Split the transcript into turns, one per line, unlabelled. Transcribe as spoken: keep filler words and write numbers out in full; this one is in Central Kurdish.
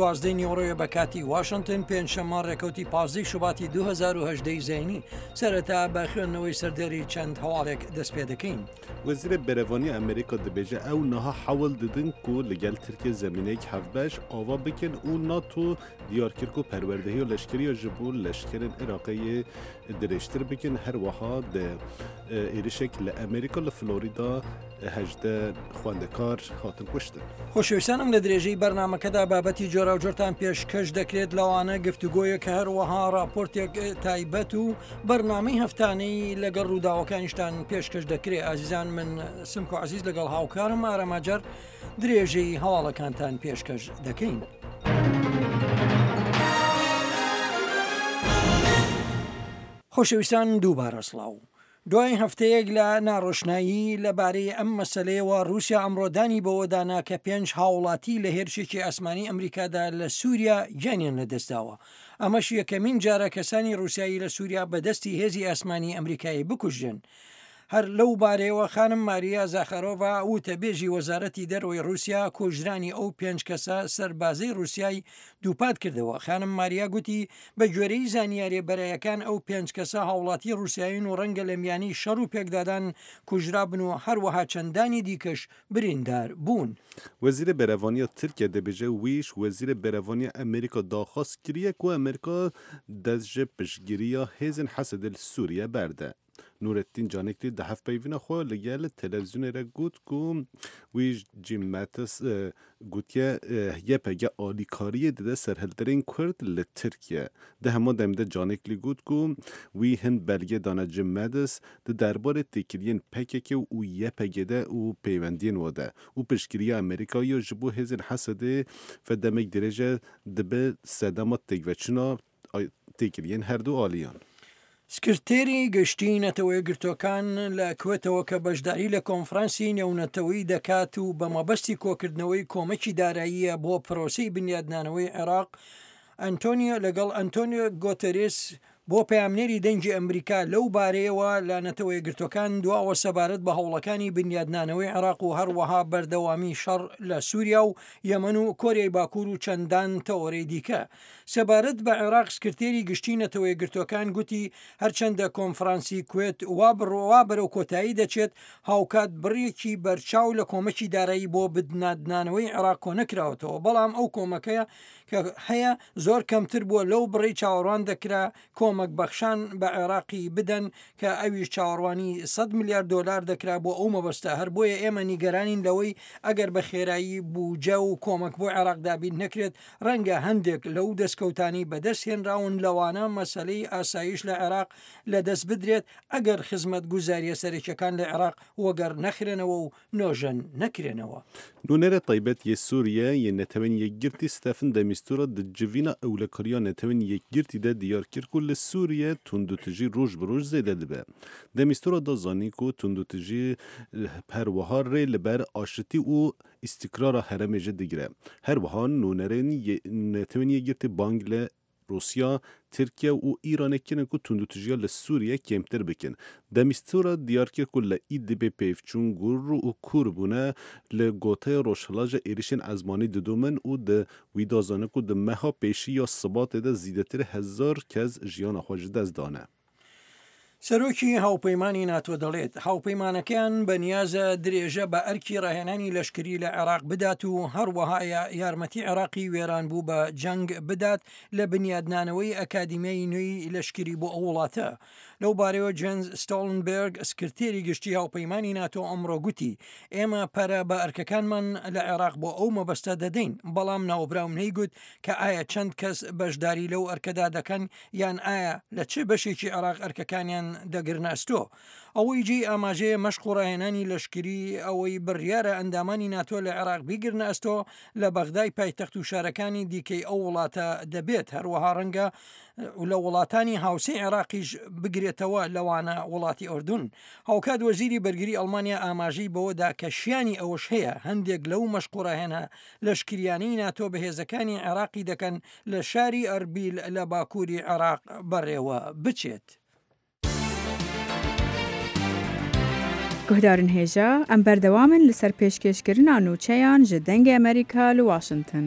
دوازدەی نیوەڕۆیە بە کاتی واشنتن، پێنجشەممە ڕێکەوتی پازدەی شوباتی دوو هەزار و هەژدە ی زەینی. سەرەتا بە خوێندنەوەی سەردێری چەند هەواڵێک دەست پێ دەکەین.
وەزیرێ بەرەڤانیە ئەمریکا دبێژە ئەو نها حەول ددن کو لەگەل ترکیە زەمینەیەک هەڤبەش ئاوا بکەن و ناتۆ دیار کرد کو پەروەردەهی و لەشکریە ji bo leşkerên Iraqê yê dirêjtir bikin. Herwiha di êrişek li Amerîka li Florida hejdeh xwendekar hatin kuştin.
خۆشەویستانم لە درێژەی بەرنامەکەدا بابەتی جۆراوجۆرتان پێشکەش دەکرێت، لەوانە گفتوگۆیەک، هەروەها راپۆرتێک تایبەت و بەرنامەی هەفتانەی لەگەڵ ڕووداوەکانیشتان پێشکەش دەکرێت. ئازیزان، من سمکۆ عەزیز لەگەڵ هاوکارم ئاراماجار درێژەی هەواڵەکانتان پێشکەش دەکەین. خۆشەویستان، دووبارە سڵاو. دوای هەفتەیەک لە ناڕۆشنایی لەبارەی ئەم مەسلەیەوە، رووسیا ئەمڕۆدانی بەوەدانا کە پێنج هاوڵاتی لە هێرشێکی ئاسمانی ئەمریکادا لە سووریا گیانیان لەدەستداوە. ئەمەش یەکەمین جارە کەسانی رووسیایی لە سووریا بەدەستی هێزی ئاسمانی ئەمریکایی بکوژرێن. هەر لەو بارەیەوە خانم ماریا زاخارۆڤا وتەبێژی وەزارەتی دەرەوەی رووسیا کۆژرانی ئەو پێنج کەسە سەربازەی رووسیای دووپات کردەوە. خانم ماریا گوتی بە گوێرەی زانیاریە بەرایەکان ئەو پێنج کەسە هاوڵاتی رووسیایین و ڕەنگە لە میانی شەڕ و پێکدادان کوژرابن و هەروەها چەندانی دیکەش بریندار بوون.
وەزیرê Berevaniya Tirkiye dibêje wî ji Wezîrê Berevaniya Amerîka daxwaz kiriye ku Amerîka dest ji piştgiriya hêzên Hesedê li Sûriye berde. Nurettin Canikli di hevpeyvîna xwe li gel televîzyonê re got ku wî Jim Mattis gotiye Y P G alîkariyê dide serhilderên Kurd li Tirkiye. Di heman demê de Canikli got ku wî hin belge dane Jim Mattis di derbarê têkiliyên P K K û Y P G de û peywendiyên we de û piştgiriya Amerîkayê ji bo hêzên Hesedê ve demek dirêj e dibe sedema têkveçûna têkiliyên her du aliyan.
سکرتێری گشتی نەتەوە یەکگرتووەکان لە کوێتەوە کە بەشداری لە کۆنفرانسی نێونەتەوەی دەکات و بە مەبەستی کۆکردنەوەی کۆمەکی داراییە بۆ پرۆسەی بنیادنانەوەی عێراق، ئەنتۆنیۆ لەگەڵ ئەنتۆنیۆ گۆتەرێس بۆ پەیامنێری دەنگی ئەمریکا لەو بارەیەوە لە نەتەوە یەکگرتووەکان دواوە سەبارەت بە هەوڵەکانی بنیادنانەوەی عێراق و هەروەها بەردەوامی شەڕ لە سووریا و یەمەن و کۆریای باکوور و چەندان تەوەرەی دیکە. سەبارەت بە عێراق، سکرتێری گشتی نەتەوە یەکگرتووەکان گوتی هەرچەندە کۆنفرانسی کوێت وا بڕوا بەرەو کۆتایی دەچێت، هاوکات بڕێکی بەرچاو لە کۆمەکی دارایی بۆ بنیادنانەوەی عێراق کۆ نەکراوەتەوە، بەڵام ئەو کۆمەکەیە کە هەیە زۆر کەمتر بووە لەو بڕی چاوەڕوان دەکرا کۆمەک بەخشان بە عێراقی بدەن کە ئەویش چاوەڕوانی سەد میلیارد دلار دەکرا بۆ ئەو مەبەستە. هەر بۆیە ئێمە نیگەرانین لەوەی ئەگەر بە خێرایی بودجە و کۆمەک بۆ عێراق دابین نەکرێت، ڕەنگە هەندێک لەو دەستکەوتانی بەدەست هێنراون، لەوانە مەسەلەی ئاسایش لە عێراق لەدەست بدرێت ئەگەر خزمەت گوزاریە سەرەکیەکان لە عێراق وەگەر نەخرێنەوە و نۆژەن نەکرێنەوە.
Nûnerê taybet yê Sûriye yê Netewên Yekgirtî Staffan de Mistura di civîna ewlekariya Netewên Yekgirtî de diyar kir ku li Sûriye tundûtijî roj bi roj zêde dibe. De Mistura da zanîn ku tundûtijî her wiha rê li ber aşitî û îstikrara herêmê jî digire. Her wiha nûnerên Netewên Yekgirtî bang li Rûsya, Tirkiye û Îranê kirin ku tundûtijiya li Sûriye kêmtir bikin. De Mistura diyar kir ku li Îdlibê pêvçûn gur û kûr bûne, li Goteya Rojhilat ji êrişên ezmanî didomin û di wî da zanin ku di meha pêşî ya Sibatê de zêdetir hezar kes jiyana xwe ji dest dane.
سەرۆکی هاوپەیمانی ناتۆ دەڵێت هاوپەیمانەکەیان بەنیازە درێژە بە ئەرکی ڕاهێنانی لەشکری لە عێراق بدات و هەروەها یارمەتی عێراقی وێران بوو بە جەنگ بدات لە بنیادنانەوەی ئەکادیمیای نوێی لەشکری بۆ ئەو وڵاتە. لەو بارەیەوە جێنز ستۆڵنبێرگ، سکرتێری گشتی هاوپەیمانی ناتۆ، ئەمڕۆ گوتی ئێمە پەرە بە ئەرکەکانمان لە عێراق بۆ ئەو مەبەستە دەدەین، بەڵام ناوبراو نەیگوت کە ئایا چەند کەس بەشداری لەو ئەرکەدا دەکەن یان ئایا لە چه بەشێکی عێراق ئەرکەکانیان دەگرنە ئەستۆ. ئەوەی جێی ئاماژەیە مەشق و ڕاهێنانی لەشکری ئەوەی بڕیارە ئەندامانی ناتۆ لە عێراق بیگرنە ئەستۆ لە بەغدای پایتەخت و شارەکانی دیکەی ئەو وڵاتە دەبێت، هەروەها ڕەنگە لە وڵاتانی هاوسێی عێراقیش بگرێتەوە، لەوانە وڵاتی ئۆردون. هاوکات وەزیری بەرگری ئەڵمانیا ئاماژەی بەوەدا کە شیانی ئەوەش هەیە هەندێک لەو مەشق و ڕاهێنە لەشکریانەی ناتۆ بە هێزەکانی عێراقی دەکەن لە شاری ئەربیل لە باکووری عێراق بەڕێوە بچێت.
Guhdarên hêja, em berdewamin li ser pêşkêşkirina nûçeyan ji Dengê Amerîka li Washington.